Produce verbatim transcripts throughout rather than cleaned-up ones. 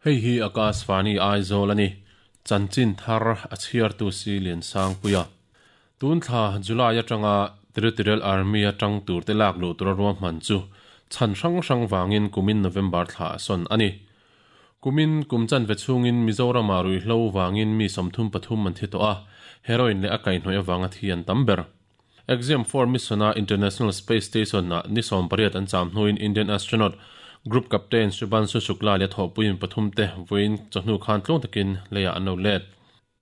Hei hi Akashvani Aizawl ani. Chanchin thar a chhiartu si lian sang puia. Tun thla July atanga Territorial Army atang tur te lak lu tur ruam man chu chan hrang hrang wangin kumin November thla son ani. Kumin kumchan ve chungin Mizoram a rui hlo wangin mi somthum pathum man thi to a heroin le akai hnoi awanga thian tamber. Axiom four missiona International Space Station na nisom pariat an cham hnuin Indian astronaut Group Captain Shubhanshu Shukla le thopuin pathum te voin chahnu khan tlong takin leya ano let.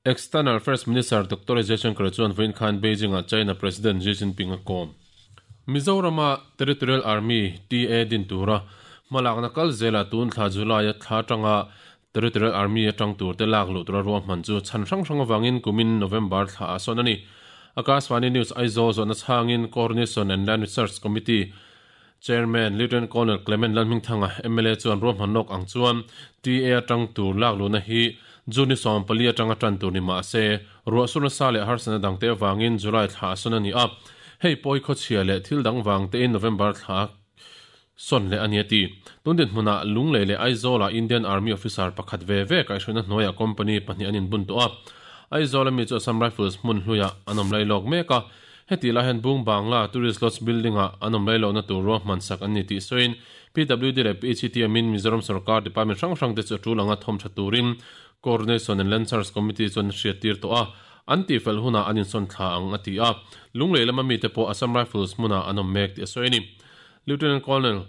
External Affairs Minister Doctor Jaishankar chuan voin khan Beijing a China President Xi Jinping a kom. Mizorama Territorial Army T A din tura malak na kal zela tun thla July a thla tanga Territorial Army atang tur te lak lu tura ruam man chu chan hrang hrang awangin kumin November thla a son ani. Akashvani News Aizawl zona changin Coordination and Land Research Committee Chairman Lieutenant Colonel Clement Lalhmingthanga M L A chuan ruam hanok ang chuan T A atang tur lak lu na hi Juni som pali atanga tan tur ni ma se ruah suna sa le harsana dangte awangin July thla son ani a hei poi kho chhia le thil dang wang te in November thla son le ani ati tundin hmuna lungle le Aizawl a Indian Army officer pakhat ve ve kai shona hnoya company pahnih anin bun to a Aizawl mi chu Assam Rifles hmun hluya anom lai lok meka heti la hen bung bangla tourist lodge building a anom lai lo na tur ro man sak ani ti soin P W D le P H T amin Mizoram Sarkar Department hrang hrang te chu tulanga thom tha turin Coordination and Land Search Committee chon hriatir to a anti fel huna anin son thla ang ati a lunglei lama mi te pawh Assam Rifles hmuna anom mek ti soini Lieutenant Colonel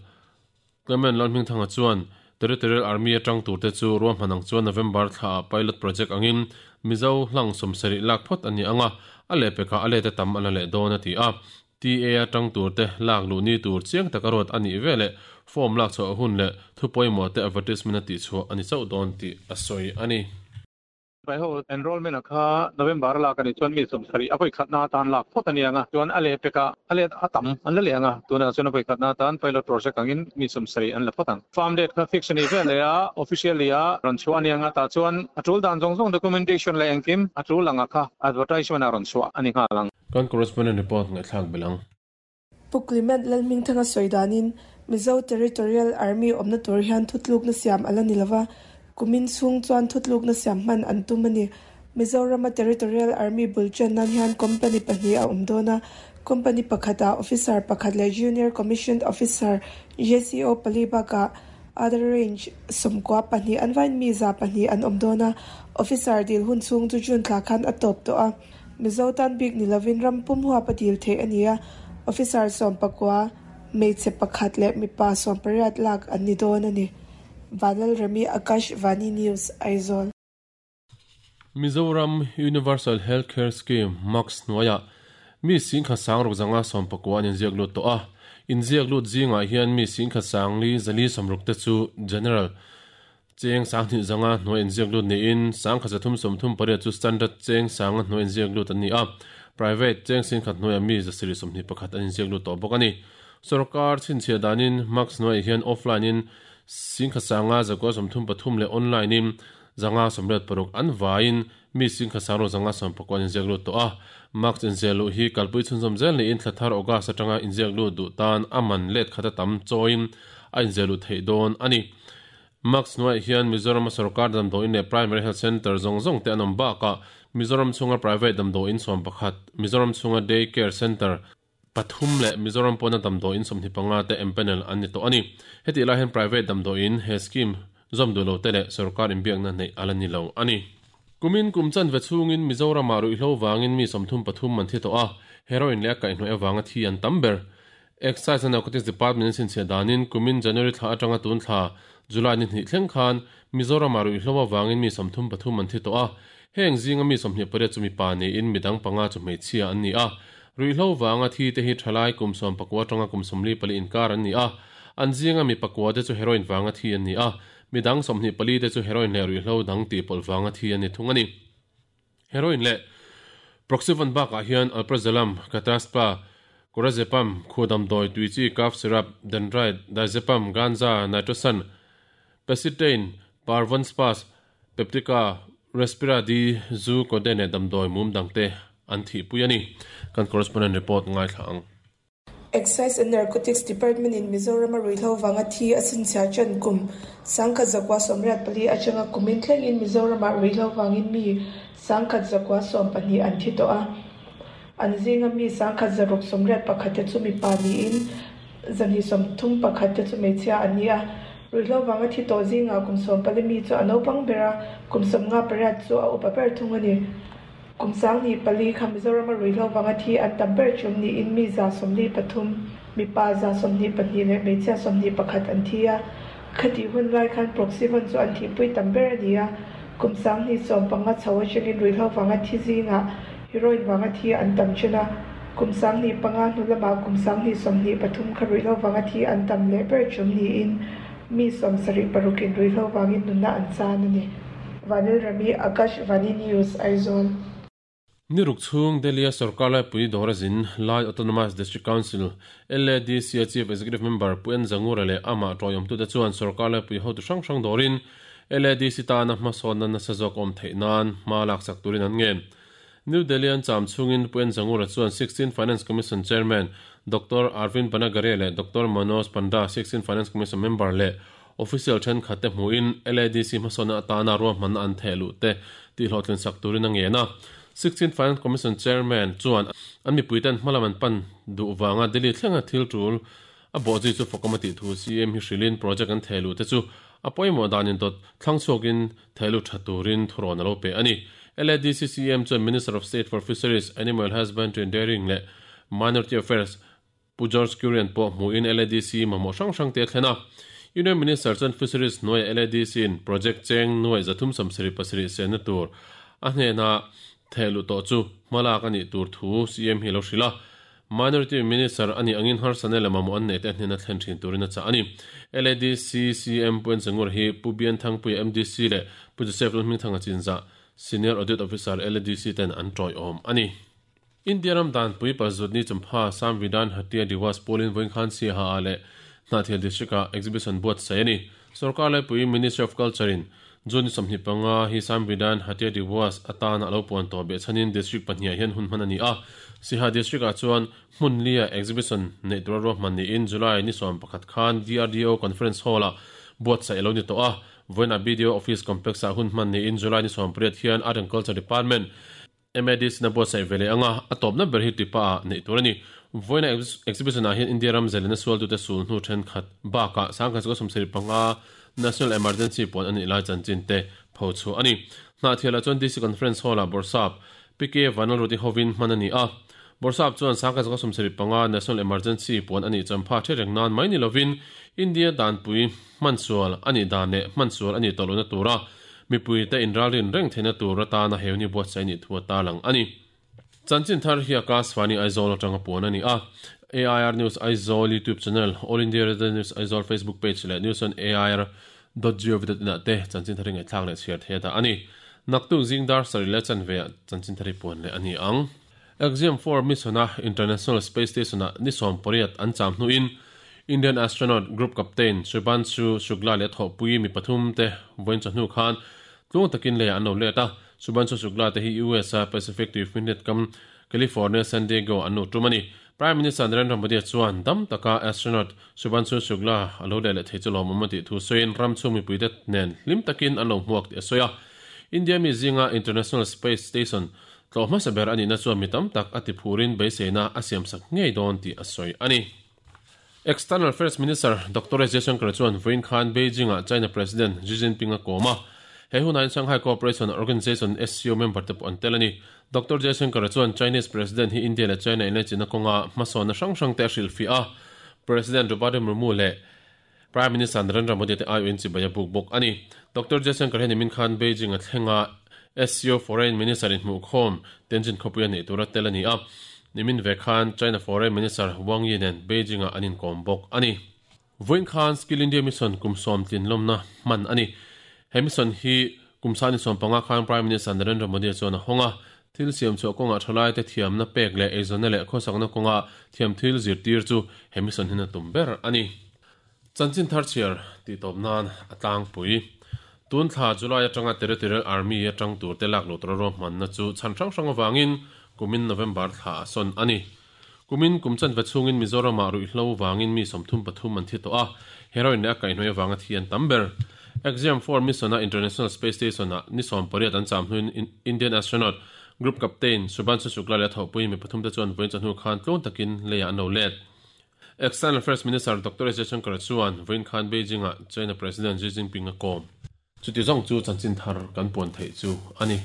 Clement Lalhmingthanga chuan Territorial Army atang tur te chu ruam hanang chuan November thla pilot project angin Mizo hlang somsari lak phot ani anga ale peka ale te tam ala le don ati a T A atang tur te lak lu ni tur chiang takarot ani vele form lak chaw hun le thupoi mo te advertisement ati chu ani chau don ti asoi ani pai ho enrollment kha November la kan chuan mi somsari apoi khatna tan lak phot ani anga chuan ale peka ale atam an le anga tuna chuan apoi khatna tan pilot project angin mi somsari an la photang farm date kha fix ni vele a officially a ron chuan anga ta chuan atul dan jong jong documentation le engkim atul anga kha advertisement a ron chua ani nga lang kan correspondent report ngai thlak belang Puklimet Lalhmingthanga soidanin Mizo Territorial Army omna tur hian thutluk na siam ala nilawa kumin chung chuan thutluk na siam man an tumani Mizoram Territorial Army bulchan nan hian company pahnih a umdona company pakhata officer pakhat le junior commissioned officer J C O palibaka other range somkwa pahnih anvain mi za pahnih an umdona officer dil hun chung chu jun thla khan atop to a Mizo tan bik nilovin rampum huwa padil the ania officer som pakwa meiche pakhat le mipa som pariat lak an ni don ani Vanal Rami Akashvani News Aizawl. Mizoram Universal Healthcare Scheme Max Noya mi sing kha sang rok zanga som pakwa in ziak lut to a in ziak lut zinga hian mi sing kha sang li zali somruk te chu general cheng sang ni zanga noi in ziak lut ni in sang kha zathum somthum pariat chu standard cheng sang noi in ziak lut ani a private cheng sing khat noi mi zasiri somni pakhat an ziak lut to bok ani sarkar chin chhe danin Max noi hian offline in sing kha sanga zakwa somthum pathum le online in zanga somret paruk an vain mi sing kha saro zanga som pakwan in ziak lut to a Max in zelu hi kalpui chunzom zel ni in thlathar oga satanga in ziak lut du tan aman let khata tam choin a in zelu thei don ani Max noi hian Mizoram sarkar dam do in le primary health center zong zong te anom ba ka Mizoram chunga private dam do in som pakhat Mizoram chunga day care center pathum le Mizoram pona dam do in somni panga te empanel ani to ani heti la hen private dam do in he scheme zom du lo te le sarkar in biak na nei alani lo ani kumin kumchan ve chungin Mizoram aru hlo wangin mi somthum pathum man thi to a heroin le ka inhoi awanga thi an tamber Excise and Narcotics Department sin che danin kumin January thla atanga tun thla July ni thleng khan Mizoram aru hlo wangin mi somthum pathum man thi to a heng zinga mi somhni pare chumi pa ni in midang panga chu mei chia an ni a ruihlo wanga thi te hi thalai kumsom pakwa tanga kumsomli pali inkar an ni a an zinga mi pakwa te chu heroin wanga thi an ni a midang somhni pali te chu heroin le ruihlo dang ti pol wanga thi an ni thung ani heroin le proxyvan bak a hian alprazolam kataspa corazepam khodam doi tuichi cough syrup dendrite diazepam ganja nitrosan pesitain parvon spas peptica respira di zu kodene damdoi mum dangte an thi puyani kan correspondent report ngai thlang. Excise and Narcotics Department in Mizoram a ruihhlo wanga thi a sinchhia chan kum sangkhat zakwa sawmriat pali atanga kumin thleng in Mizoram ah ruihhlo wangin mi sangkhat zakwa sawm pahnih an thi tawh a an zinga mi sangkhat zaruk sawmriat pakhat te chu mipa niin zani sawmthum pakhat te chu hmeichhia an ni a ruihhlo wanga thi tawh zinga kum sawm pali mi chu a naupang bera kum sawmnga pariat chu a upa ber thung a ni. Kum sangni pali kha Mizoram a ruihhlo wanga thi an tam ber chum niin mi za sawmli pathum mipa za sawmhnih pahnih leh hmeichhia sawmhnih pakhat an thi a khati hun lai khan proxy-van chu an thihpui tam ber a ni a kum sangni sawm panga chho atangin ruihhlo wanga thi zinga heroin wanga thi an tam chen a kum sangni panga hnu lamah kum sangni sawmhnih pathum kha ruihhlo wanga thi an tam leh ber chum niin mi sawm sarih parukin ruihhlo wangin nunna an chan a ni. Vanil Rami, Akash Vani News, Aizawl. Ni ruk chung Delhi sarkar lai pui dorazin Lai Autonomous District Council L A D C Chief Executive Member Puen Zangura le ama toyom tu te chuan sarkar lai pui hotu hrang hrang dorin L A D C ta na hmasawn na nasa zawk awm theih nan hma lak sak turin an ngen. New Delhi an cham chungin Puen Zangura chuan sixteen Finance Commission Chairman Doctor Arvind Panagare le Doctor Manoj Panda sixteen Finance Commission Member le official then khate hmuin L A D C hmasawn na atana ruahman an thehlu te ti hlawhtlin sak turin a ngen a. sixteen Finance Commission Chairman chuan an mi puiten hmalaman pan du wanga Delhi thlenga thil tul a boji chu fokamati thu C M hi hrilin project an thelu te chu a poimo danin dot thlangchhuakin thelu thaturin thuron alo pe ani. L A D C C M chuan Minister of State for Fisheries, Animal Husbandry and Dairying le Minority Affairs Pu George Kurian pawh hmuin L A D C mamawh hrang hrang te thlena. Union Minister chuan Fisheries hnuai L A D C in project cheng nuai zathum sawmsarih pasarih sena tur a hnena thelu to chu hmalak ani tur thu C M hi lo hrila. Minority Minister ani angin harsane lama mo an nei te hnena thlen thin turin a cha ani. L A D C C M Puen Zangur hi Pu Bian Thangpui M D C le Pu Joseph Lalhming Thanga Chinza Senior Audit Officer L A D C ten an toi awm ani. India ram dan pui pazutni chumpha Samvidhan Hatia Diwas Polin voin khan si ha ale Hnahthial District a exhibition buat sai ani. Sarkar lai pui Ministry of Culture in June sawmhnih panga hi Samvidhan Hatia Diwas atana alo puan tawh be chanin district pahnih hian hun hman ani a. Siha district ah chuan hmun lia exhibition nei tura ruahman niin July ni sawm pakhat khan D R D O conference hall ah buat sai alo ni tawh a. Voina B D O office complex ah hun hman niin July ni sawm pariat hian Art and Culture Department M A D C na buat sai vele anga a tawpna ber hi tipa ah nei tur ani. Voina exhibition ah hian India ram zelena sual tu te sul hnu then khat bakah sangkhat chu sawmsarih panga National Emergency pon ani lai chanchin te pho chu ani. Hnahthial chuan D C Conference Hall ah Borsap P K Vanal Roti Hovin hman ani a. Borsap chuan sangkhat chu sawmsarih panga National Emergency pon ani champha thereng nan mai ni lovin India danpui hmansual ani dan le hmansual ani tawluna tura mipui te inralrin reng theina tur atana heuni buat sai ni thua ta lang ani. Chanchin thar hi Akashvani Aizawl atanga pon ani a. A I R News Aizawl YouTube channel, All India Radio News Aizawl Facebook page le news on A I R dot gov dot in te chanchin thari ngai thlak le chhiar the da ani. Naktu zingdar sari le chanve chanchin thari pon le ani ang. Axiom four mission a International Space Station a ni sawm pariat an cham hnuin Indian astronaut group captain Shubhanshu Shukla le thawhpui mi pathum te vawiin chawhnu khan tlung takin le an lo let a. Shubhanshu Shukla te hi U S a Pacific Tuifinriat kam California San Diego an nu tum ani. Prime Minister Narendra Modi chuan dam taka astronaut Shubhanshu Shukla alo le le thei chu lawm ti thu sawiin ram chhung mipui te nen hlim takin an lo hmuak ti a sawi a. India mi zinga International Space Station tlawh hmasa ber ani na chuan mi tam tak a ti phurin beiseina a siam sak ngei dawn ti a sawi ani. External Affairs Minister Doctor S Jaishankar chuan vawiin khan Beijing ah China President Xi Jinping a kawm a. He hunain Shanghai Cooperation Organization S C O member te pawh an tel ani. Doctor Jaishankar chuan Chinese President hi India le China in le China kawnga hmasawn na hrang hrang te a hrilh fi a. President Draupadi Murmu le Prime Minister Narendra Modi te ai in chibai a buk bawk ani. Doctor Jaishankar hian nimin khan Beijing a thlenga S C O Foreign Minister in hmuh khawm Tianjin khawpui a nei tura tel ani a. Nimin ve khan China Foreign Minister Wang Yi nen Beijing ah an inkawm bawk ani. Vawiin khan Skill India Mission kum sawm tlin lawmna hman ani. He mission hi kum sani sawm panga khan Prime Minister Narendra Modi chuan a hawnga thil siam chu kawnga thalai te thiamna pek le eizawnna leh khawsakna kawnga thiam thil zirtir chu he mission hin a tum ber ani. Chanchin thar chhiar ti tawp nan a tlangpui. Tun thla July atanga Territorial Army atang tur te lak lo tura ruahmanna chu chhan hrang hrang awangin kumin November thla a sawn ani. Kumin kum chan ve chungin Mizoram ah ruihhlo wangin mi sawmthum pathum an thi tawh a, heroin leh a kaihhnawih avanga thi an tam ber. Axiom four mission a International Space Station ah ni sawm pariat an cham hnuin Indian astronaut Group Captain Shubhanshu Shukla leh a thawhpui mi pathum te chuan vawiin chawhnu khan tluang takin leiah an lo let. External Affairs Minister Doctor S Jaishankar chuan vawiin khan Beijing ah China President Xi Jinping a kawm. Chuti zawng chu chanchin thar kan puan theih chu a ni.